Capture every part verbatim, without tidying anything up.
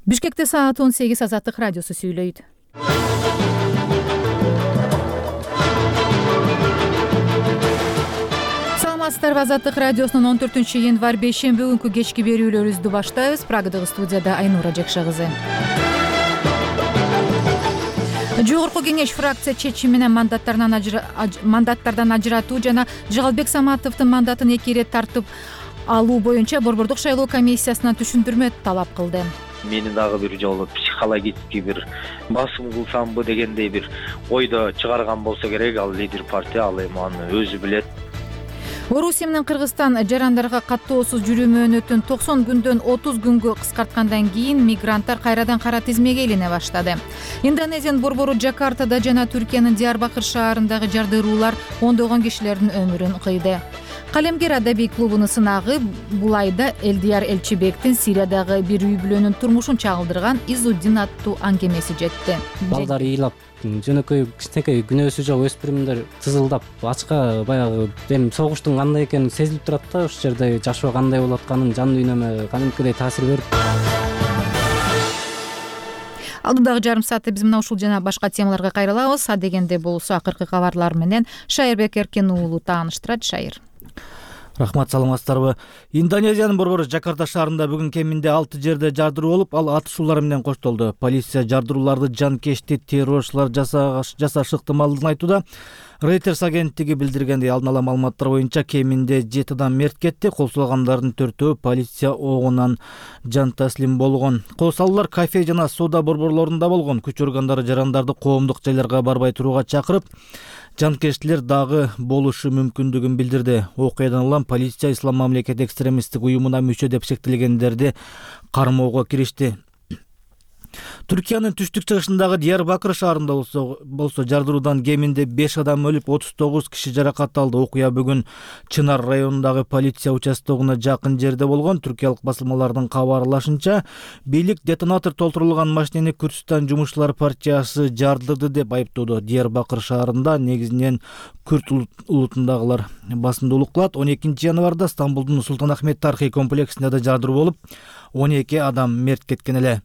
Бишкекте саат он сегиз Азаттык радиосу сүйлөйт. Саламатсыздарбы, Азаттык радиосунун он төртүнчү январь бейшемби күнкү кечки берүүлөрүбүздү баштайбыз. Прагадагы студияда Айнура Жекша кызы. Жогорку кеңеш фракция чечими менен мандаттардан ажыратуу жана Жыгалбек Саматовдун мандатын эки ирет тартып алуу боюнча Борбордук шайлоо комиссиясынан түшүндүрмө талап кылды. Мени дагы бир жолу психологический бир басым кылсамбы дегендей бир ойдо чыгарган болсо керек. Ал лидер партия, ал эми аны өзү билет. Орусия менен Кыргызстан жарандарга каттоосуз жүрүү мөөнөтүн токсон күндөн отуз күнгө кыскарткандан кийин мигранттар кайрадан кара тизмеге илине баштады. Индонезиянын борбору Жакартада жана Түркиянын Диярбакыр шаарындагы жардыруулар ондогон кишилердин өмүрүн кыйды. Калемгер адабий клубунун сынагы бул айда Элдияр Элчибектин Сириядагы бир үй бүлөнүн турмушун чагылдырган Изуддин аттуу аңгемеси жетти. Балдар ыйлап, жөнөкөй кичинекей күнөөсү жок өспүрүмдөр тызылдап, ачка баягы эми согуштун кандай экени сезилип турат да, ошол жерде жашоо кандай болуп атканын жан дүйнөмө кадимкидей таасир берип. Алдыдагы жарым саатта биз мына ушул жана башка темаларга кайрылабыз. А дегенде болсо акыркы кабарлар менен Шайырбек Эркен уулу тааныштырат. Шайыр. Рахмат, саламатсыздарбы. Индонезиянын борбору Жакарта шаарында бүгүн кеминде алты жерде жардыруу болуп, ал атышуулар менен коштолду. Полиция жардырууларды жанкечти террорчулар жасашы ыктымалдыгын айтууда. Reuters агенттиги билдиргендей, алдын ала маалыматтар боюнча кеминде жети адам мерт кетти. Кол салгандардын төртөө полиция огунан жан таслим болгон. Кол салуулар кафе жана соода борборлорунда болгон. Күч органдары жарандарды коомдук жайларга барбай турууга чакырып, жанкечтилер дагы болушу мүмкүндүгүн билдирди. Окуядан улам полиция Ислам мамлекет экстремисттик уюмуна мүчө деп шектелгендерди кармоого киришти. Түркиянын түштүк чыгышындагы Диярбакыр шаарында болсо, болсо жардыруудан кеминде беш адам өлүп, отуз тогуз киши жаракат алды. Окуя бүгүн Чынар районундагы полиция участогуна жакын жерде болгон. Түркиялык басылмалардын кабарлашынча, бийлик детонатор толтурулган машинени Күрдүстан жумушчулар партиясы жардырды деп айыптоодо. Диярбакыр шаарында негизинен күрд улутундагылар басымдуулук кылат. он экинчи январда Стамбулдун Султан Ахмет тарыхый комплексинде да жардыруу болуп, он эки адам мерт кеткен эле.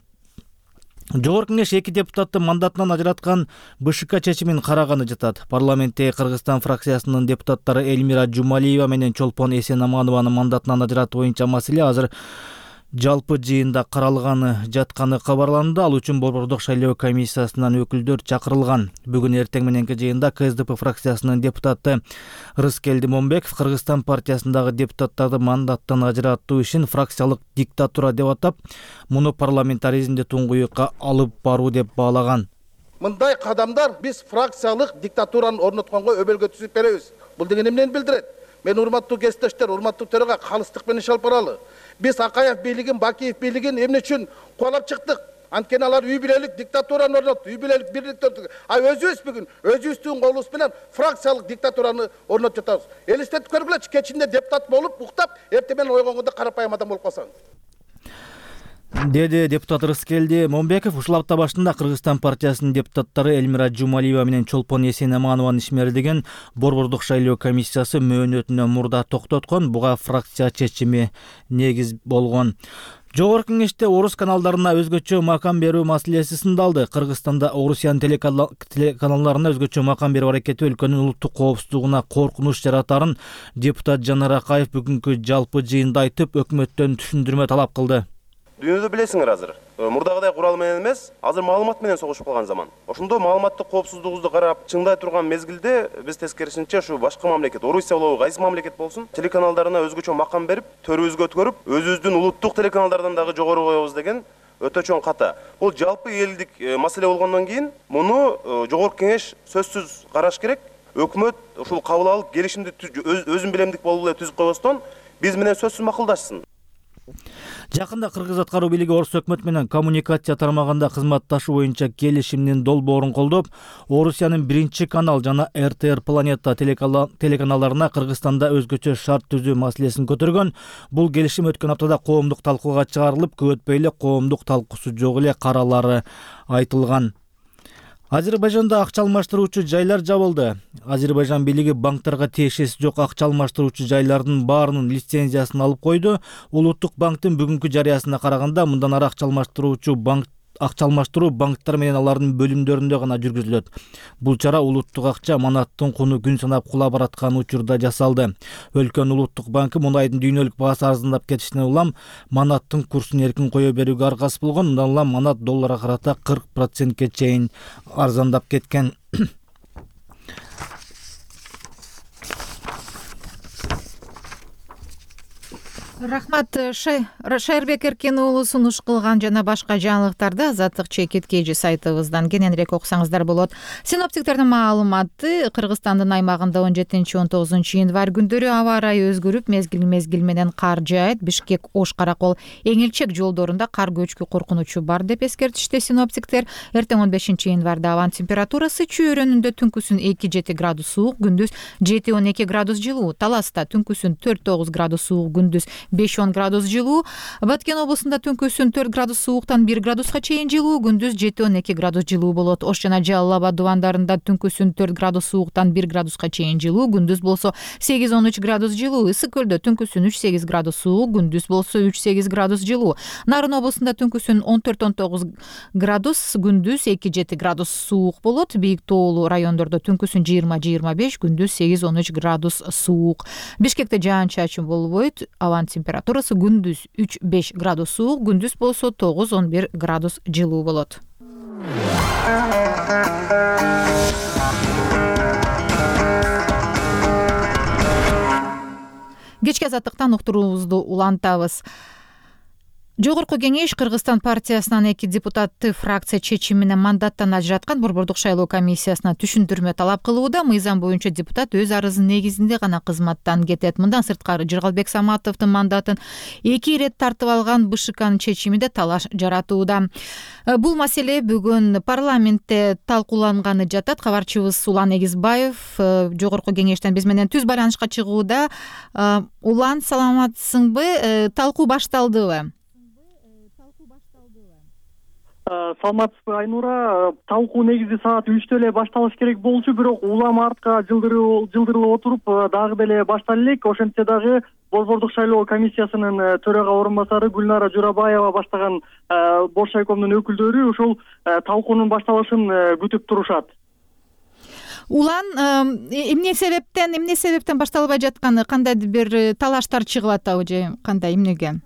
Жогорку кеңеш эки депутатты мандатынан ажыраткан БШК чечимин караганы жатат. Парламентте Кыргызстан фракциясынын депутаттары Элмира Жумалиева менен Чолпон Эсенаманованы мандатынан ажыратуу боюнча маселе азыр жалпы жыйында каралганы жатканы кабарланды. Ал үчүн Борбордук шайлоо комиссиясынан өкүлдөр чакырылган. Бүгүн эртең мененки жыйында КСДП фракциясынын депутаты Рыскелди Момбеков Кыргызстан партиясындагы депутаттарды мандаттан ажыратуу ишин фракциялык диктатура деп атап, муну парламентаризмди туңгуюкка алып баруу деп баалаган. Мындай кадамдар биз фракциялык диктатураны орнотконго өбөлгө түзүп беребиз. Бул деген эмнени билдирет? Мен урматтуу кесиптештер, урматтуу төрага калыстык менен иш алып баралы. Биз Акаев бийлигин, Бакиев бийлигин эмне үчүн кубалап чыктык? Анткени алар үй бүлөлүк диктатураны орнотту, үй бүлөлүк бирликти орнотту. А өзүбүз бүгүн өзүбүздүн колубуз менен фракциялык диктатураны орнотуп жатабыз. Элестетип көргүлөчү, кечинде депутат болуп, уктап, эртең менен ойгонгондо карапайым адам болуп калсаң. Деди депутат Рыскелди Момбеков. Ушул апта башында Кыргызстан партиясынын депутаттары Элмира Жумалиева менен Чолпон Эсенаманованы ишмердиген Борбордук шайлоо комиссиясы мөөнөтүнөн мурда токтоткон. Буга фракция чечими негиз болгон. Жогорку кеңеште орус каналдарына өзгөчө макам берүү маселеси сындалды. Кыргызстанда Орусиянын телеканалдарына өзгөчө макам берүү аракети өлкөнүн улуттук коопсуздугуна коркунуч жаратарын депутат Жанар Акаев бүгүнкү жалпы жыйында айтып, өкмөттөн түшүндүрмө талап кылды. Дүйнөдө билесиңер азыр. Мурдагыдай курал менен эмес, азыр маалымат менен согушуп калган заман. Ошондо маалыматтык коопсуздугубузду карап чыңдай турган мезгилде биз тескерисинче ушу башка мамлекет, Орусия болобу, кайсы мамлекет болсун, телеканалдарына өзгөчө макам берип, төрүбүзгө өткөрүп, өзүбүздүн улуттук телеканалдардан дагы жогору коебуз деген өтө чоң ката. Бул жалпы элдик маселе болгондон кийин муну жогорку кеңеш сөзсүз караш керек. Өкмөт ушул кабыл алып, келишимди өзүн билемдик болуп эле түзүп койбостон биз менен сөзсүз макулдашсын. Жакында Кыргыз аткаруу бийлиги Орус өкмөтү менен коммуникация тармагында кызматташуу боюнча келишимдин долбоорун колдоп, Орусиянын биринчи канал жана эр тэ эр Планета телеканалдарына Кыргызстанда өзгөчө шарт түзүү маселесин көтөргөн. Бул келишим өткөн аптада коомдук талкууга чыгарылып, көп өтпөй эле коомдук талкуусу жок эле каралары айтылган. Азербайжанда акча алмаштыруучу жайлар жабылды. Азербайжан бийлиги банктарга тиешеси жок акча алмаштыруучу жайлардын баарынын лицензиясын алып койду. Улуттук банктын бүгүнкү жарыясына караганда мындан ары акча алмаштыруучу банк акча алмаштыруу банктар менен алардын бөлүмдөрүндө гана жүргүзүлөт. Бул чара улуттук акча манаттын куну күн санап кула бараткан учурда жасалды. Өлкөнүн улуттук банкы мунайдын дүйнөлүк баасы арзандап кетишине улам манаттын курсун эркин кое берүүгө аргасыз болгон. Мындан улам манат долларга карата кырк процентке чейин арзандап кеткен. Рахмат. Шайырбек Эркен уулу сунуш кылган жана башка жаңылыктарды Азаттык чекит кежи сайтыбыздан кененирээк окусаңыздар болот. Синоптиктердин маалыматы: Кыргызстандын аймагында он жетинчи он тогузунчу январь күндөрү аба ырайы өзгөрүп, мезгил мезгил менен кар жаайт. Бишкек Ош Каракол Эңилчек жолдорунда кар көчкү коркунучу бар деп эскертишти синоптиктер. Эртең он бешинчи январда абанын температурасы чөйрөнүндө түнкүсүн эки жети градус суук, күндүз жети он эки градус жылуу. Таласта түнкүсүн төрт тогуз градус суук, күндүз беш он градус жылуу. Баткен облусунда түнкүсүн төрт градус сууктан бир градуска чейин жылуу, күндүз жети он эки градус жылуу болот. Ош жана Жалал Абад дубандарында түнкүсүн төрт градус сууктан бир градуска чейин жылуу, күндүз болсо сегиз он үч градус жылуу. Ысык көлдө түнкүсүн үч сегиз градус суук, күндүз болсо үч сегиз градус жылуу. Нарын облусунда түнкүсүн он төрт он тогуз градус, күндүз эки жети градус суук болот. Бийик тоолуу райондордо түнкүсүн жыйырма жыйырма беш, күндүз сегиз он үч градус суук. Бишкекте жаан-чачын болбойт. Абанын температурасы күндүз үч беш градус суук, күндүз болсо тогуз он бир градус жылуу болот. Кечки азаттыктан уктуруубузду улантабыз. Жогорку кеңеш Кыргызстан партиясынан эки депутатты фракция чечими менен мандаттан ажыраткан Борбордук шайлоо комиссиясына түшүндүрмө талап кылууда. Мыйзам боюнча депутат өз арызынын негизинде гана кызматтан кетет. Мындан сырткары Жыргалбек Саматовдун мандатын эки ирет тартып алган БШКнын чечимиде талаш жаратууда. Бул маселе бүгүн парламентте талкууланганы жатат. Кабарчыбыз Улан Эгизбаев жогорку кеңештен биз менен түз байланышка чыгууда. Улан, саламатсыңбы? Талкуу башталдыбы? Саламатсызбы, Айнура? Талкуу негизи саат үчтө эле башталыш керек болчу, бирок улам артка жылдырылып отуруп дагы деле баштала элек. Ошентсе дагы Борбордук шайлоо комиссиясынын төрага орун басары Гүлнара Журабаева баштаган Бош шайкомдун өкүлдөрү ушул талкуунун башталышын күтүп турушат. Улан, эмне себептен, эмне себептен башталбай жатканы, кандайдыр бир талаштар чыгып атабы же кандай, эмнеге?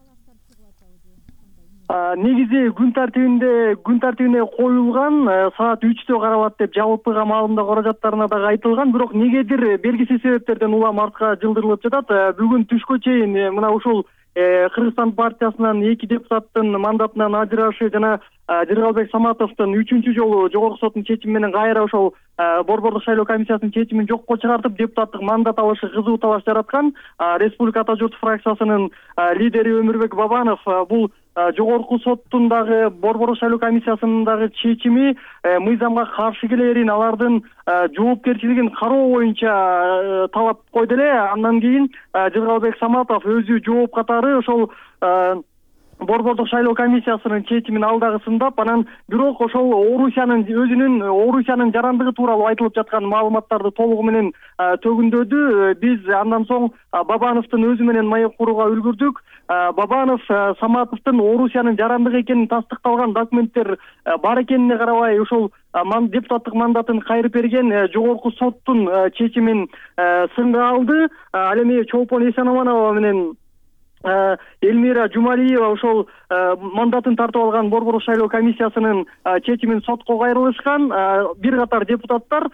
Негизи күн тартибинде күн тартибине коюлган саат үчтө каралат деп жалпыга маалымдоо каражаттарына дагы айтылган, бирок негедир белгисиз себептерден улам артка жылдырылып жатат. Бүгүн түшкө чейин мына ушул Кыргызстан партиясынан эки депутаттын мандатынан ажырашы жана Жыргалбек Саматовдун үчүнчү жолу жогорку соттун чечими менен кайра ошол Борбордук шайлоо комиссиясынын чечимин жокко чыгартып, депутаттык мандат алышы кызуу талаш жараткан. Республика Ата журт фракциясынын лидери Өмүрбек Бабанов бул жогорку соттун дагы Борбордук шайлоо комиссиясынын дагы чечими мыйзамга каршы келерин, алардын жоопкерчилигин кароо боюнча талап койду эле. Андан кийин Жыргалбек Саматов өзү жооп катары ошол Борбордук шайлоо комиссиясынын чечимин алдагысындап, анан бирок ошол Орусиянын өзүнүн Орусиянын жарандыгы тууралуу айтылып жаткан маалыматтарды толугу менен төгүндөдү. Биз андан соң Бабановдун өзү менен маек курууга үлгүрдүк. Бабанов Саматовдун Орусиянын жарандыгы экенин тастыкталган документтер бар экенине карабай ушул депутаттык мандатын кайрып берген жогорку соттун чечимин сынга алды. Ал эми Чолпон Эсенаманова менен Элмира Жумалиева ошол мандатын тартып алган Борбордук шайлоо комиссиясынын чечимин сотко кайрылышкан. Бир катар депутаттар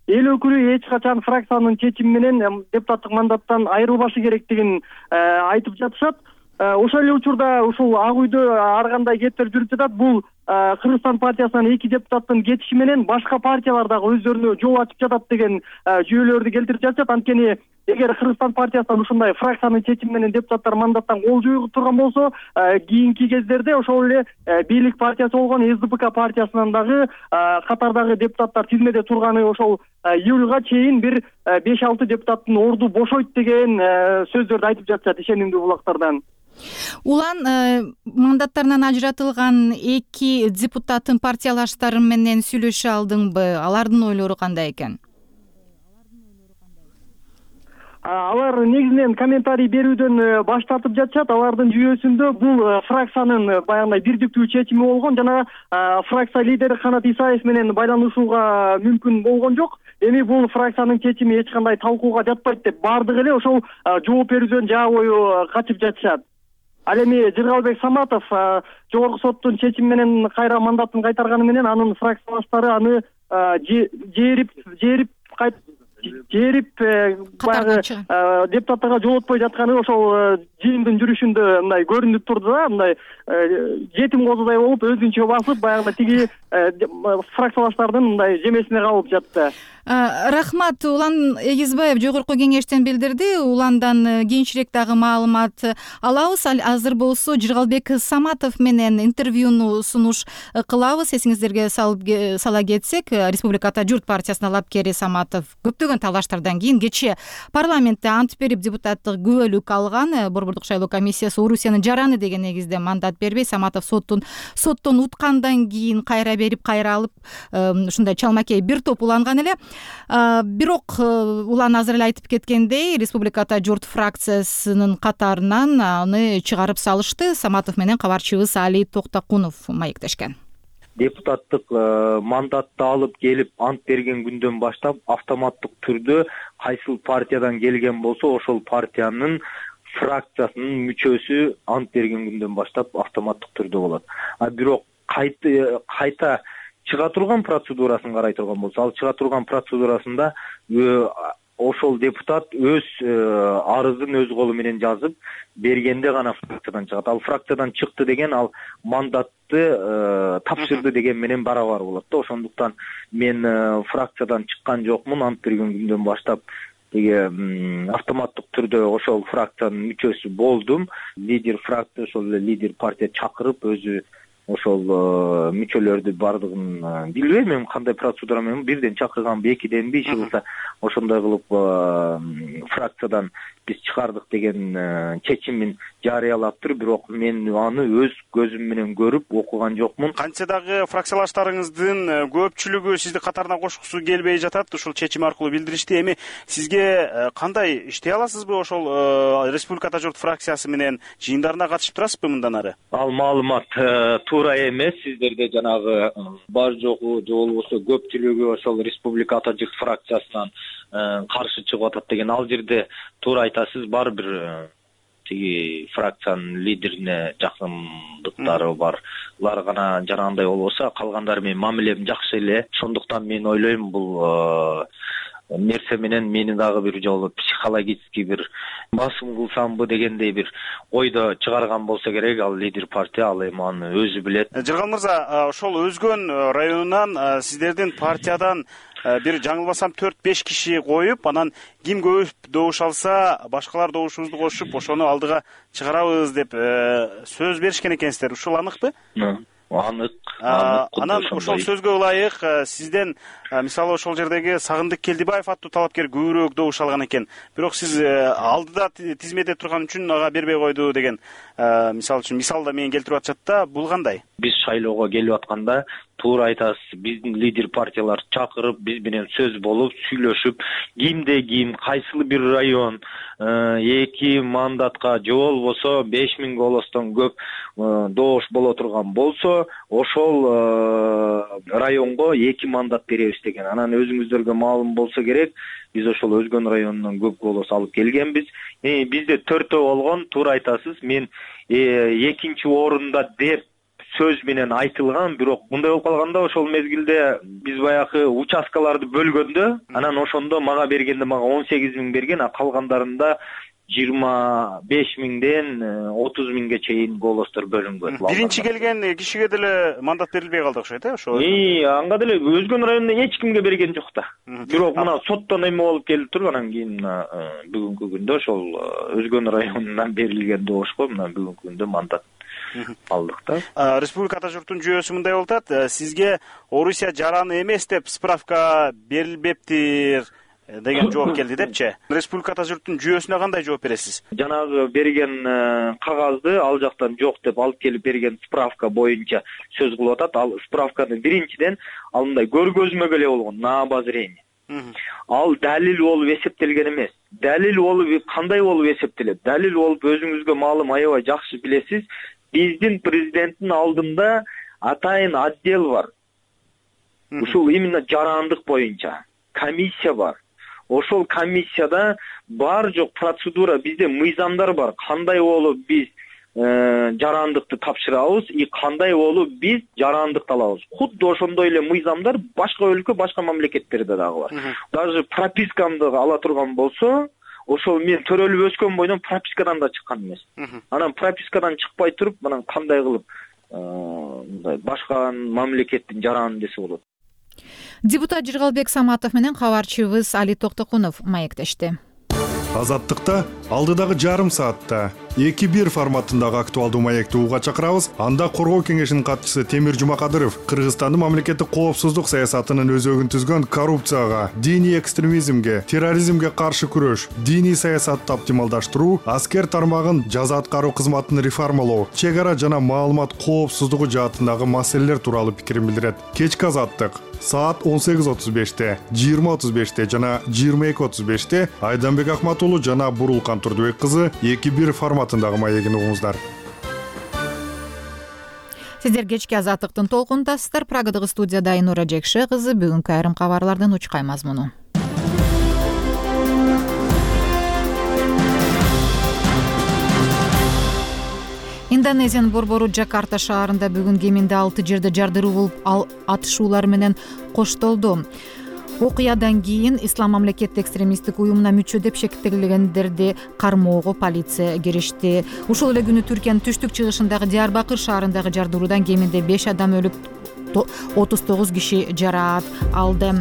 эл өкүлү эч качан фракциянын чечими менен депутаттык мандаттан айрылбашы керектигин айтып жатышат. Ошол эле учурда ушул Ак үйдө ар кандай кептер жүрүп жатат. Бул Кыргызстан партиясынан эки депутаттын кетиши менен башка партиялар дагы өздөрүнө жол ачып жатат деген жүйөлөрдү келтирип жатышат. Анткени эгер Кыргызстан партиясынан ушундай фракциянын чечими менен депутаттар мандаттан кол жууп турган болсо, кийинки кездерде ошол эле бийлик партиясы болгон эс ди пэ ка партиясынан дагы катардагы депутаттар тизмеде турганы ошол июлга чейин бир беш алты депутаттын орду бошойт деген сөздөрдү айтып жатышат ишенимдүү булактардан. Улан мандаттарынан ажыратылган эки депутаттын партиялаштары менен сүйлөшө алдыңбы? Алардын ойлору кандай экен? Алар негизинен комментарий берүүдөн баш тартып жатышат. Алардын жүйөсүндө бул фракциянын баягындай бирдиктүү чечими болгон жана фракция лидери Канат Исаев менен байланышууга мүмкүн болгон жок. Эми бул фракциянын чечими эч кандай талкууга жатпайт деп баардыгы эле ошол жооп берүүдөн жаа бою качып жатышат. Ал эми Жыргалбек Саматов жогорку соттун чечими менен кайра мандатын кайтарганы менен анын фракциялаштары аны жээрип жээрип кайт жээрип баягы депутаттарга жолотпой жатканы ошол жыйындын жүрүшүндө мындай көрүнүп турду да, мындай жетим козудай болуп өзүнчө басып баягы тиги фракциялаштардын мындай жемесине калып жатты. Рахмат. Улан Эгизбаев жогорку кеңештен билдирди. Уландан кийинчерээк дагы маалымат алабыз. Азыр болсо Жыргалбек Саматов менен интервьюну сунуш кылабыз. Эсиңиздерге сала кетсек, Республиката журт партиясынын алапкери Саматов көптөгөн талаштардан кийин кечээ парламентте ант берип депутаттык күбөлүк алган. Борбордук шайлоо комиссиясы Орусиянын жараны деген негизде мандат бербей, Саматов соттун соттон уткандан кийин кайра берип, кайра алып, ушундай чалмакей бир топ уланган эле. Бирок улан азыр эле айтып кеткендей, Республиката журт фракциясынын катарынан аны чыгарып салышты. Саматов менен кабарчыбыз Али Токтокунов маектешкен. Депутаттык мандатты алып келип ант берген күндөн баштап автоматтык түрдө кайсыл партиядан келген болсо ошол партиянын фракциясынын мүчөсү ант берген күндөн баштап автоматтык түрдө болот. А бирок кайта кайта чыга турган процедурасын карай турган болсо, ал чыга турган процедурасында ошол депутат өз арызын өз колу менен жазып бергенде гана фракциядан чыгат. Ал фракциядан чыкты деген ал мандатты тапшырды деген менен барабар болот да. Ошондуктан мен фракциядан чыккан жокмун, ант берген күндөн баштап деге автоматтык түрдө ошол фракциянын мүчөсү болдум. Лидер фракция, ошол лидер партия чакырып өзү ошол мүчөлөрдү бардыгын билбейм мен кандай процедура менен бирден чакырганбы, экиденби, иши кылса ошондой кылып фракциядан биз чыгардык деген чечимин жарыялаптыр. Бирок мен аны өз көзүм менен көрүп окуган жокмун. Кантсе дагы фракциялаштарыңыздын көпчүлүгү сизди катарына кошкусу келбей жатат, ушул чечим аркылуу билдиришти. Эми сизге кандай иштей аласызбы ошол Республиката журт фракциясы менен жыйындарына катышып турасызбы мындан ары? Ал маалымат туура эмес. Сиздерде жанагы бар жогу же болбосо көпчүлүгү ошол Республиката журт фракциясынан каршы чыгып атат деген, ал жерде туура айтасыз. Бар бир тиги фракциянын лидерине жакындыктары бар. Алар гана жарандай болбосо, калгандары менен мамилем жакшы эле. Ошондуктан мен ойлойм бул нерсе менен мени дагы бир жолу психологический бир басым кылсамбы дегендей бир ойдо чыгарган болсо керек ал лидер партия. Ал эми аны өзү билет. Жыргал мырза, ошол Өзгөн районунан сиздердин партиядан бир жаңылбасам төрт беш киши коюп, анан ким көп добуш алса башкалар добушубузду кошуп ошону алдыга чыгарабыз деп сөз беришкен экенсиздер. Ушул аныкпы? Анык. Анан ошол сөзгө ылайык сизден мисалы ошол жердеги Сагындык Келдибаев аттуу талапкер көбүрөөк добуш алган экен. Бирок сиз алдыда тизмеде турган үчүн ага бербей койду деген мисалы үчүн мисал да менен келтирип атышат да. Бул кандай? Биз шайлоого келип атканда туура айтасыз, биздин лидер партиялар чакырып, биз менен сөз болуп, сүйлөшүп, кимде ким, кайсыл бир район эки мандатка же болбосо беш миң голостон көп добуш боло турган болсо, ошол районго эки мандат беребиз деген. Анан өзүңүздөргө маалым болсо керек, биз ошол Өзгөн районунан көп голос алып келгенбиз. Бизде төртөө болгон, туура айтасыз. Мен экинчи орунда деп сөз менен айтылган, бирок мындай болуп калганда ошол мезгилде биз баягы участкаларды бөлгөндө, анан ошондо мага бергенде мага он сегиз миң берген, а калгандарында жыйырма беш миңден отуз миңге чейин голостор бөлүнгөн. Биринчи келген кишиге деле мандат берилбей калды окшойт, э, ошо. И, анга деле Өзгөн районунда эч кимге берген жок да. Бирок мына соттон эме болуп келип туруп, анан кийин мына бүгүнкү күндө ошол Өзгөн районунан берилген добушко мына бүгүнкү күндө мандат алдык да. Республика ата журтунун жүйөсү мындай болуп атат. Сизге Орусия жараны эмес деп справка берилбептир деген жооп келди депчи. Республика ата журтунун жүйөсүнө кандай жооп бересиз? Жанагы берген кагазды ал жактан жок деп алып келип берген справка боюнча сөз кылып атат. Ал справканы биринчиден ал мындай көргөзмөгө эле болгон, на обозрение. Ал далил болуп эсептелген эмес. Далил болуп кандай болуп эсептелет? Далил болуп өзүңүзгө маалым, аябай жакшы билесиз. Биздин президенттин алдында атайын отдел бар. Ушул именно жарандык боюнча комиссия бар. Ошол комиссияда бар жок процедура, бизде мыйзамдар бар. Кандай болуп биз жарандыкты тапшырабыз и кандай болуп биз жарандыкты алабыз. Худду ошондой эле мыйзамдар башка өлкө, башка мамлекеттерде дагы бар. Даже пропискамды ала турган болсо, ошол мен төрөлүп өскөн бойдон пропискадан да чыккан эмес. Анан пропискадан чыкпай туруп, анан кандай кылып мындай башка мамлекеттин жараны десе болот. Депутат Жыргалбек Саматов менен кабарчыбыз Али Токтокунов маектешти. Азаттыкта алдыдагы жарым саатта эки бир форматындагы актуалдуу маекти угууга чакырабыз. Анда коргоо кеңешинин катчысы Темир Жумакадыров Кыргызстандын мамлекеттик коопсуздук саясатынын өзөгүн түзгөн коррупцияга, диний экстремизмге, терроризмге каршы күрөш, диний саясатты оптималдаштыруу, аскер тармагын жаза аткаруу кызматын реформалоо, чек ара жана маалымат коопсуздугу жаатындагы маселелер тууралуу пикирин билдирет. Кечки Азаттык саат он сегиз отуз беште, жыйырма отуз беште жана жыйырма эки отуз беште Айданбек Акматулу жана Бурулкан Турдубек кызы эки бир форматындагы маегин угуңуздар. Сиздер кечки Азаттыктын толкунундасыздар. Прагадагы студияда Айнура Жекше кызы бүгүнкү айрым кабарлардын учкай мазмуну. Индонезиянын борбору Жакарта шаарында бүгүн кеминде алты жерде жардыруу болуп, ал атышуулар менен коштолду. Окуядан кийин Ислам мамлекеттик экстремисттик уюмуна мүчө деп шектелгендерди кармоого полиция киришти. Ушул эле күнү Түркиянын түштүк чыгышындагы Диярбакыр шаарындагы жардыруудан кеминде беш адам өлүп, отуз тогуз киши жараат алды.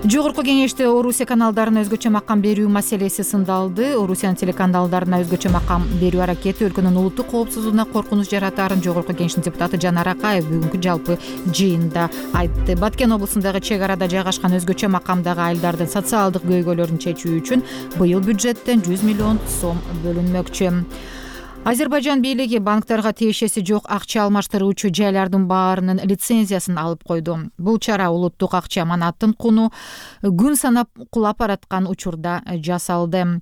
Жогорку кеңеште Орусия каналдарына өзгөчө макам берүү маселеси сындалды. Орусиянын телеканалдарына өзгөчө макам берүү аракети өлкөнүн улуттук коопсуздугуна коркунуч жаратаарын Жогорку кеңештин депутаты Жанар Акаев бүгүнкү жалпы жыйында айтты. Баткен облусундагы чек арада жайгашкан өзгөчө макамдагы айылдардын социалдык көйгөйлөрүн чечүү үчүн быйыл бюджеттен жүз миллион сом бөлүнмөкчү. Азербайжан бийлиги банктарга тиешеси жок акча алмаштыруучу жайлардын баарынын лицензиясын алып койду. Бул чара улуттук акча аманаттын куну күн санап кулап бараткан учурда жасалды.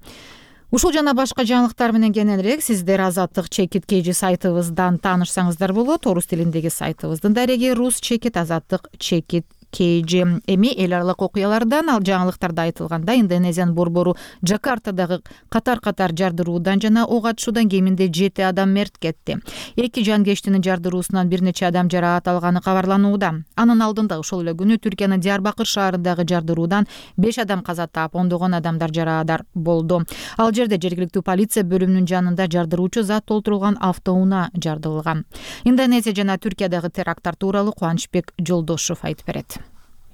Ушул жана башка жаңылыктар менен кененирээк сиздер Азаттык чекит kg сайтыбыздан таанышсаңыздар болот. Орус тилиндеги сайтыбыздын дареги рус чекит Азаттык чекит kg. Эми эл аралык окуялардан ал жаңылыктарда айтылганда Индонезиянын борбору Жакартадагы катар-катар жардыруудан жана ок атышуудан кеминде жети адам мерт кетти. Эки жангештинин жардыруусунан бир нече адам жараат алганы кабарланууда. Анын алдында ошол эле күнү Түркиянын Диярбакыр шаарындагы жардыруудан беш адам каза таап, ондогон адамдар жараадар болду. Ал жерде жергиликтүү полиция бөлүмүнүн жанында жардыруучу зат толтурулган автоунаа жардылган. Индонезия жана Түркиядагы теракттар тууралуу Кубанычбек Жолдошов айтып берет.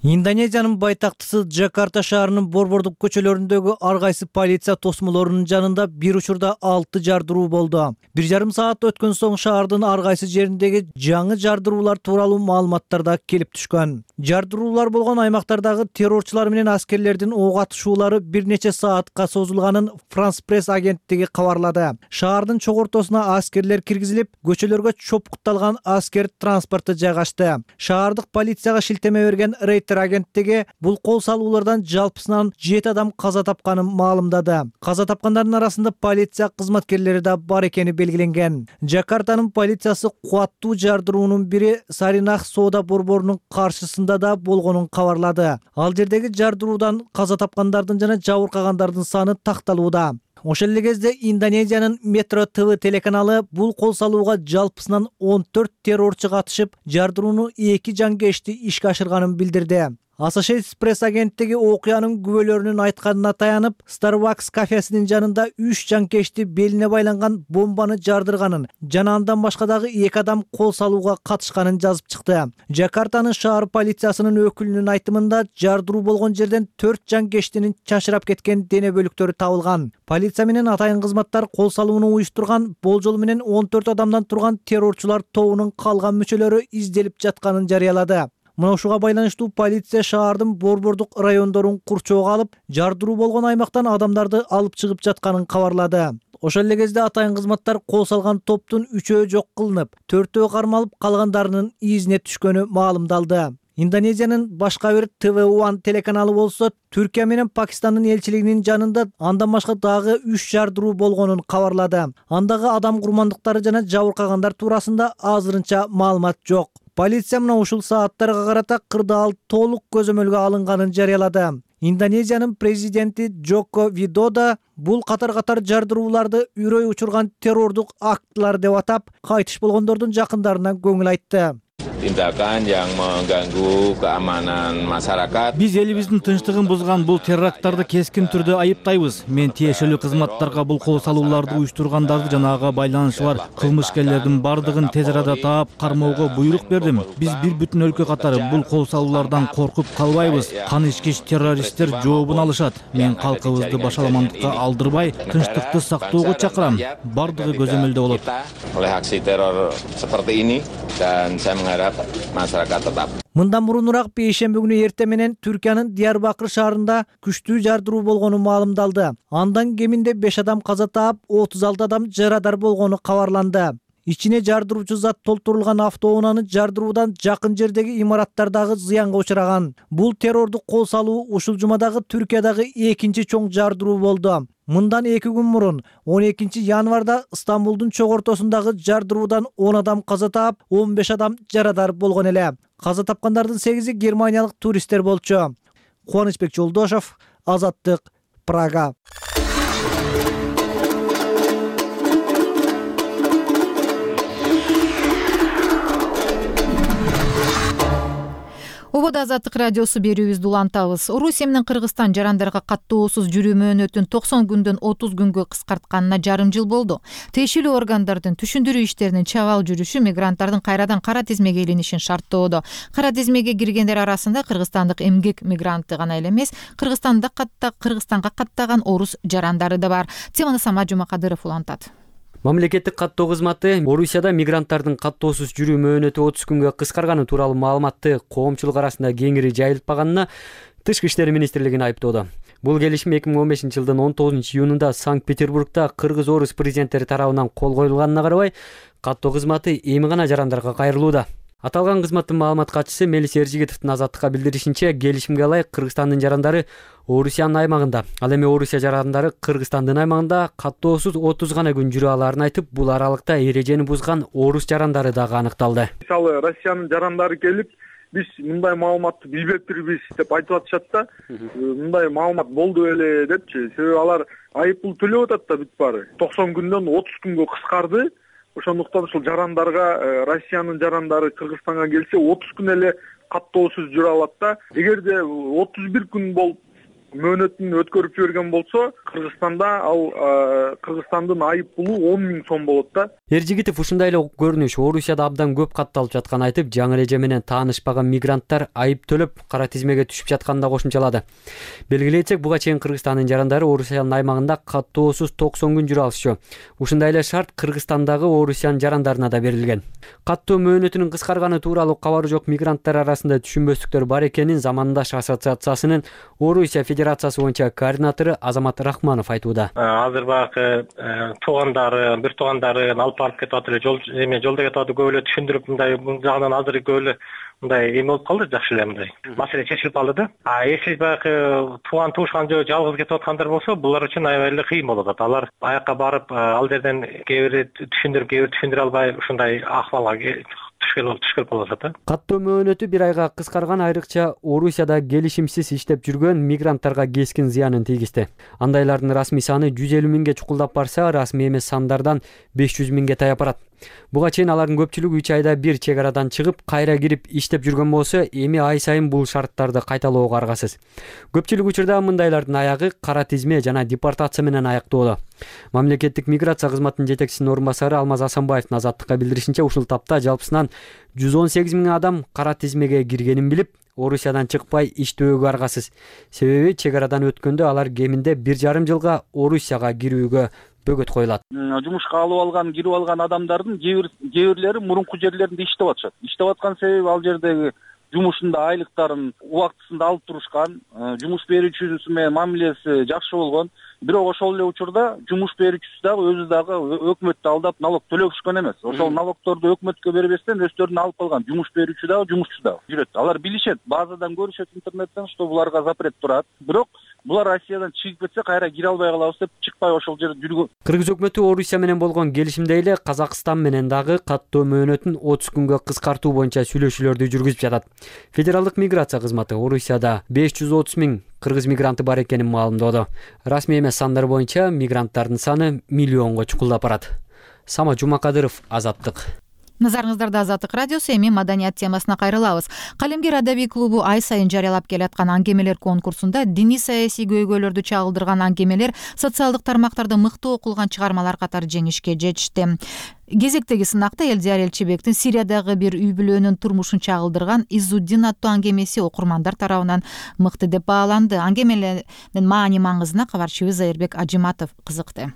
Индонезиянын байтактысы Жакарта шаарынын борбордук көчөлөрүндөгү ар кайсы полиция тосмолорунун жанында бир учурда алты жардыруу болду. Бир жарым саат өткөн соң шаардын ар кайсы жериндеги жаңы жардыруулар тууралуу маалыматтар да келип түшкөн. Жардыруулар болгон аймактардагы террорчулар менен аскерлердин ок атышуулары бир нече саатка созулганын Франс пресс агенттиги кабарлады. Шаардын чогортосуна аскерлер киргизилип, көчөлөргө чопукталган аскер транспорту жайгашты. Шаардык полицияга шилтеме берген Рейтер агенттиги бул кол салуулардан жалпысынан жети адам каза тапканын маалымдады. Каза тапкандардын арасында полиция кызматкерлери да бар экени белгиленген. Жакартанын полициясы кубаттуу жардыруунун бири Саринах соода борборунун каршысында да болгонун кабарлады. Ал жердеги жардыруудан каза тапкандардын жана жабыркагандардын саны такталууда. Ошол эле кезде Индонезиянын Metro ти ви телеканалы бул кол салууга жалпысынан он төрт террорчу катышып, жардырууну эки жангешти ишке ашырганын билдирди. Associated Press агенттиги окуянын күбөлөрүнүн айтканына таянып, Starbucks кафесинин жанында үч жанкечти белине байланган бомбаны жардырганын жана андан башка дагы эки адам кол салууга катышканын жазып чыкты. Жакартанын шаар полициясынын өкүлүнүн айтымында жардыруу болгон жерден төрт жанкештинин чачырап кеткен дене бөлүктөрү табылган. Полиция менен атайын кызматтар кол салууну уюштурган болжол менен он төрт адамдан турган террорчулар тобунун калган мүчөлөрү изделип жатканын жарыялады. Мына ушуга байланыштуу полиция шаардын борбордук райондорун курчоого алып, жардыруу болгон аймактан адамдарды алып чыгып жатканын кабарлады. Ошол эле кезде атайын кызматтар кол салган топтун үчөө жок кылынып, төртөө кармалып, калгандарынын изине түшкөнү маалымдалды. Индонезиянын башка бир Т В один телеканалы болсо, Түркия менен Пакистандын элчилигинин жанында андан башка дагы үч жардыруу болгонун кабарлады. Андагы адам курмандыктары жана жабыркагандар туурасында азырынча маалымат жок. Полиция мына ушул сааттарга карата кырдаал толук көзөмөлгө алынганын жарыялады. Индонезиянын президенти Джоко Видодо бул катар-катар жардырууларды үрөй учурган террордук актылар деп атап, кайтыш болгондордун жакындарына көңүл айтты. Tindakan yang mengganggu keamanan masyarakat. Биз элибиздин тынчтыгын бузган бул терракттарды кескин түрдө айыптайбыз. Мен тиешелүү кызматтарга бул кол салууларды уюштургандарды жана ага байланышы бар кылмышкерлердин бардыгын тез арада таап, кармоого буйрук бердим. Биз бир бүтүн өлкө катары бул кол салуулардан коркуп калбайбыз. Канычкич террористтер жообун алышат. Мен калкыбызды башаламандыкка алдырбай, тынчтыкты сактоого чакырам. Бардыгы көзөмөлдө болот. Oleh aksi teror seperti ini dan saya mengharap masyarakat tetap. Мындан мурунураак бейшемби күнү эртең менен Түркиянын Диярбакыр шаарында күчтүү жардыруу болгону маалымдалды. Андан кеминде беш адам каза таап, отуз алты адам жарадар болгону кабарланды. Ичине жардыруучу зат толтурулган автоунааны жардыруудан жакын жердеги имараттардагы зыянга учураган. Бул террордук кол салуу ушул жумадагы Түркиядагы экинчи чоң жардыруу болду. Мындан эки күн мурун он экинчи январда Стамбулдун чок ортосундагы жардыруудан он адам каза таап, он беш адам жарадар болгон эле. Каза тапкандардын сегизи германиялык туристтер болчу. Кубанычбек Жолдошов, Азаттык, Прага. Обода Азаттык радиосу берүүбүздү улантабыз. Орусия менен Кыргызстан жарандарга каттоосуз жүрүү мөөнөтүн токсон күндөн отуз күнгө кыскартканына жарым жыл болду. Тиешелүү органдардын түшүндүрүү иштеринин чабал жүрүшү мигранттардын кайрадан кара тизмеге илинишин шарттоодо. Кара тизмеге киргендер арасында кыргызстандык эмгек мигранты гана эле эмес, Кыргызстанда катта Кыргызстанга каттаган орус жарандары да бар. Теманы Самат Жумакадыров улантат. Мамлекеттик каттоо кызматы Орусияда мигранттардын каттоосуз жүрүү мөөнөтү отуз күнгө кыскарганы тууралуу маалыматты коомчулук арасында кеңири жайылтпаганына Тышкы иштер министрлигин айыптоодо. Бул келишим эки миң он бешинчи жылдын он тогузунчу июнунда Санкт-Петербургда кыргыз-орус президенттери тарабынан кол коюлганына карабай, каттоо кызматы эми гана жарандарга кайрылууда. Аталган кызматтын маалымат катчысы Мелис Эржигитовдун Азаттыкка билдиришинче, келишимге ылайык Кыргызстандын жарандары Орусиянын аймагында, ал эми Орусия жарандары Кыргызстандын аймагында каттоосуз отуз гана күн жүрө алаарын айтып, бул аралыкта эрежени бузган орус жарандары дагы аныкталды. Мисалы, Россиянын жарандары келип, биз мындай маалыматты билбептирбиз деп айтып атышат да. Мындай маалымат болду эле депчи. Себеби алар айыппул төлөп атат да бүт баары. токсон күндөн отуз күнгө кыскарды. Ошондуктан ушул жарандарга, Россиянын жарандары Кыргызстанга келсе отуз күн эле каттоосуз жүрө алат да. Эгерде отуз бир күн болуп мөөнөтүн өткөрүп жиберген болсо, Кыргызстанда ал Кыргызстандын айыппулу он миң сом болот да. Эржигитов ушундай эле көрүнүш Орусияда абдан көп катталып жатканын айтып, жаңы эреже менен таанышпаган мигранттар айып төлөп кара тизмеге түшүп жатканын да кошумчалады. Белгилейсек, буга чейин Кыргызстандын жарандары Орусиянын аймагында каттоосуз токсон күн жүрө алышчу. Ушундай эле шарт Кыргызстандагы Орусиянын жарандарына да берилген. Каттоо мөөнөтүнүн кыскарганы тууралуу кабары жок мигранттар арасында түшүнбөстүктөр бар экенин Замандаш ассоциациясынын Орусия Федерациясы боюнча координатору Азамат Рахманов айтууда. Азыр багы туугандары, бир туугандарын алып барып кетип атып эле, жол эме жолдо кетип атып көп эле түшүндүрүп, мындай бул жагынан азыр көп эле мындай эме болуп калды, жакшы эле мындай. Маселе чечилип калды да. А если багы тууган туушкан жөө жалгыз кетип аткандар болсо, булар үчүн аябай эле кыйын болот. Алар аякка барып, ал жерден кээ бири түшүндүрүп, кээ бири түшүндүрө албай ушундай акыбалга түшкөрүп калып атат. Каттоо мөөнөтү бир айга кыскарган, айрыкча Орусияда келишимсиз иштеп жүргөн мигранттарга кескин зыянын тийгизди. Андайлардын расмий саны жүз элүү миңге чукулдап барса, расмий эмес сандардан беш жүз миңге таяп барат. Буга чейин алардын көпчүлүгү үч айда бир чек арадан чыгып кайра кирип иштеп жүргөн болсо, эми ай сайын бул шарттарды кайталоого аргасыз. Көпчүлүк учурда мындайлардын аягы кара тизме жана депортация менен аяктоодо. Мамлекеттик миграция кызматынын жетекчисинин орун басары Алмаз Асанбаевдин Азаттыкка билдиришинче, ушул тапта жалпысынан жүз он сегиз миң адам кара тизмеге киргенин билип, Орусиядан чыкпай иштөөгө аргасыз. Себеби чек арадан өткөндө алар кеминде бир жарым жылга Орусияга кирүүгө бөгөт коюлат. Жумушка алып алган, кирип алган адамдардын кээ бирлери мурунку жерлеринде иштеп атышат. Иштеп аткан себеби ал жердеги жумушунда айлыктарын убактысында алып турушкан, жумуш берүүчүсү менен мамилеси жакшы болгон. Бирок ошол эле учурда жумуш берүүчүсү дагы өзү дагы өкмөттү алдап налог төлөгүшкөн эмес. Ошол налогторду өкмөткө бербестен өздөрүнө алып калган. Жумуш берүүчү дагы, жумушчу дагы жүрөт. Алар билишет, базадан көрүшөт интернеттен, что буларга запрет турат. Бирок булар Россиядан чыгып кетсе кайра кире албай калабыз деп чыкпай ошол жерде жүргөн. Кыргыз өкмөтү Орусия менен болгон келишимде эле Казакстан менен дагы каттоо мөөнөтүн отуз күнгө кыскартуу боюнча сүйлөшүүлөрдү жүргүзүп жатат. Федералдык миграция кызматы Орусияда беш жүз отуз миң кыргыз мигранты бар экенин маалымдоодо. Расмий эмес сандар боюнча мигранттардын саны миллионго чукулдап барат. Самат Жумакадыров, Азаттык. Назарыңыздарда Азаттык радиосу. Эми маданият темасына кайрылабыз. Калемгер адабий клубу ай сайын жарыялап келаткан аңгемелер конкурсунда диний саясий көйгөйлөрдү чагылдырган аңгемелер, социалдык тармактарда мыкты окулган чыгармалар катары жеңишке жетишти. Кезектеги сынакта Элдияр Элчибектин Сириядагы бир үй бүлөнүн турмушун чагылдырган Изуддин аттуу аңгемеси окурмандар тарабынан мыкты деп бааланды. Аңгемелердин маани маңызына кабарчыбыз Зайырбек Ажиматов кызыкты.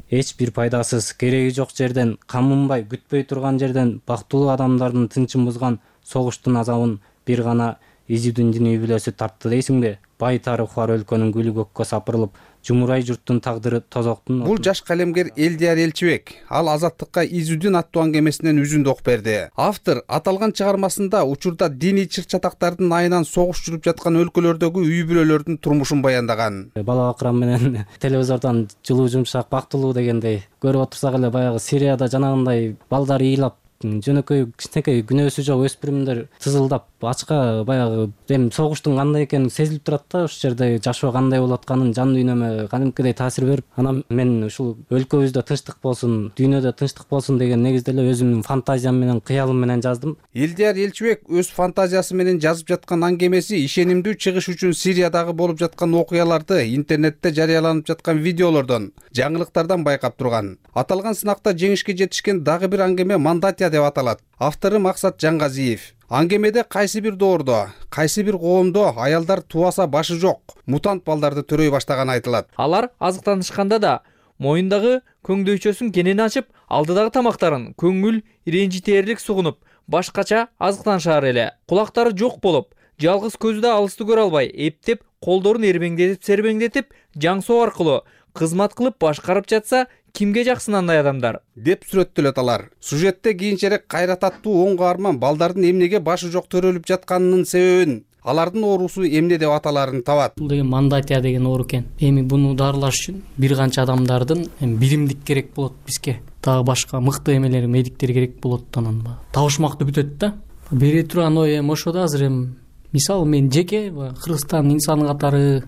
Эч бир пайдасыз, кереги жок жерден, камынбай, күтпөй турган жерден бактылуу адамдардын тынчын бузган согуштун азабын бир гана Изуддин үй бүлөсү тартты дейсиңби? Бай тарыхы бар өлкөнүн гүлү көккө сапырылып, жумурай журттун тагдыры тозоктун. Бул жаш калемгер Элдияр Элчибек. Ал Азаттыкка Изуддин аттуу аңгемесинен үзүндү окуп берди. Автор аталган чыгармасында учурда диний чыр-чатактардын айынан согуш жүрүп жаткан өлкөлөрдөгү үй бүлөлөрдүн турмушун баяндаган. Бала акырам менен телевизордон жылуу жумшак бактылуу дегендей көрүп отурсак эле баягы Сирияда жанагындай балдар ыйлап, жөнөкөй кичинекей күнөөсү жок өспүрүмдөр тызылдап ачка баягы эми согуштун кандай экени сезилип турат да, ушул жерде жашоо кандай болуп атканын жан дүйнөмө кадимкидей таасир берип, анан мен ушул өлкөбүздө тынчтык болсун, дүйнөдө тынчтык болсун деген негизде эле өзүмдүн фантазиям менен, кыялым менен жаздым. Элдияр Элчибек өз фантазиясы менен жазып жаткан аңгемеси ишенимдүү чыгыш үчүн Сириядагы болуп жаткан окуяларды, интернетте жарыяланып жаткан видеолордон, жаңылыктардан байкап турган. Аталган сынакта жеңишке жетишкен дагы бир аңгеме Мандатия деп аталат. Автору Максат Жаңгазиев. Аңгемеде кайсы бир доордо, кайсы бир коомдо аялдар тубаса башы жок, мутант балдарды төрөй баштаганы айтылат. Алар азыктанышканда да моюндагы көңдөйчөсүн кенен ачып, алдыдагы тамактарын көңүл ренжитээрлик сугунуп, башкача азыктанышаар эле. Кулактары жок болуп, жалгыз көзү да алысты көрө албай, эптеп, колдорун эрбеңдетип, сербеңдетип, жаң соо аркылуу кызмат кылып башкарып жатса, кимге жаксын андай адамдар деп сүрөттөлөт алар. Сюжетте кийинчерээк кайрататтуу оң каарман балдардын эмнеге башы жок төрөлүп жатканынын себебин, алардын оорусу эмне деп аталарын табат. Бул деген Мандатия деген оору экен. Эми буну дарылаш үчүн бир канча адамдардын биримдик керек болот бизге. Дагы башка мыкты эмелер, медиктер керек болот, анан табышмакты бүтөт да. Бере турган ой эми ошо да азыр эми мисалы мен жеке Кыргызстан инсаны катары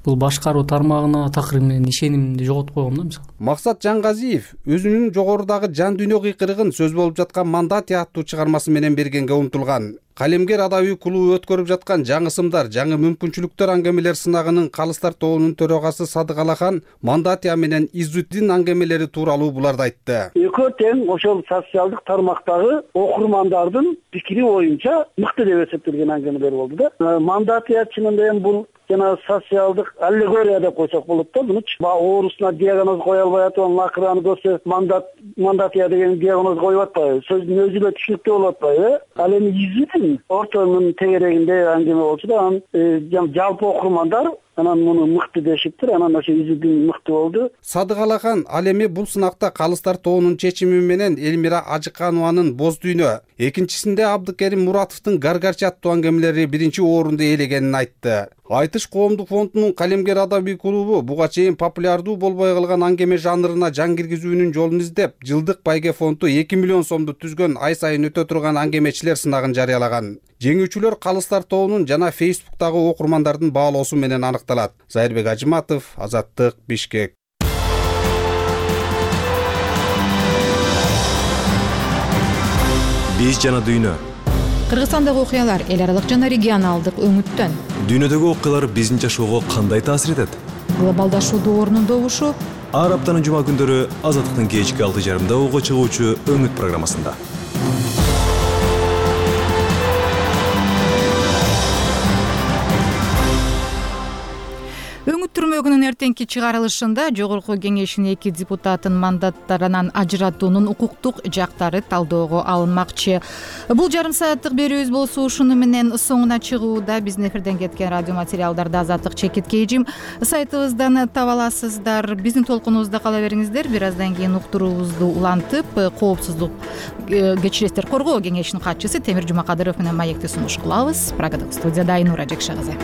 бул башкаруу тармагына такыр менен ишенимди жоготуп койгом да мисалы. Максат Жаңгазиев өзүнүн жогорудагы жан дүйнө кыйкырыгын сөз болуп жаткан Мандатия аттуу чыгармасы менен бергенге умтулган. Калемгер адабий клубу өткөрүп жаткан жаңы сымдар, жаңы мүмкүнчүлүктөр аңгемелер сынагынын Калыстар тобунун төрагасы Садык Алахан Мандатия менен Изуддин аңгемелери тууралуу буларды айтты. Экөө тең ошол социалдык тармактагы окурмандардын пикири боюнча мыкты деп эсептелген аңгемелер болду да. Мандатия чынында эми бул жана социалдык аллегория деп койсок болот да. Мунучу оорусуна диагноз кое албай атып, акыраны көрсө мандат Мандатия деген диагноз коюп атпайбы? Сөздүн өзү эле түшүнүктүү болуп атпайбы? Ал эми Изуддин ортонун тегерегинде аңгеме болчу да, анан жалпы окурмандар анан муну мыкты дешиптир, анан ошо Изуддин мыкты болду. Садык Алахан ал эми бул сынакта Калыстар тобунун чечими менен Элмира Ажыканованын Боз дүйнө, экинчисинде Абдыкерим Муратовдун Гаргарчы аттуу аңгемелери биринчи орунду ээлегенин айтты. Айтыш коомдук фондунун Калемгер адабий клубу буга чейин популярдуу болбой калган аңгеме жанрына жан киргизүүнүн жолун издеп, жылдык байге фонду эки миллион сомду түзгөн ай сайын өтө турган аңгемечилер сынагын жарыялаган. Жеңүүчүлөр Калыстар тобунун жана Фейсбуктагы окурмандардын баалоосу менен аныкталат. Зайырбек Ажиматов, Азаттык, Бишкек. биз жана дүйнө. Кыргызстандагы окуялар эл аралык жана регионалдык өңүттөн. Дүйнөдөгү окуялар биздин жашоого кандай таасир этет? Глобалдашуу доорунун добушу. Ар аптанын жума күндөрү Азаттыктын кечки алты жарымда угуга чыгуучу Өңүт программасында. Өңүт түрмөгүнүн эртеңки чыгарылышында Жогорку Кеңештин эки депутатын мандаттарынан ажыратуунун укуктук жактары талоого алынмакчы. Бул жарым сааттык берүүбүз болсо ушуну менен соңуна чыгууда. Биздин эфирден кеткен радио материалдарды Азаттык чекитке эжим сайтыбыздан таба аласыздар. Биздин толкунубузда кала бериңиздер. Бир аздан кийин уктуруубузду улантып, коопсуздук кечиресиздер коргоо кеңешинин катчысы Темир Жумакадыров менен маекти сунуш кылабыз. Прагадагы студияда Айнура Жекша кызы.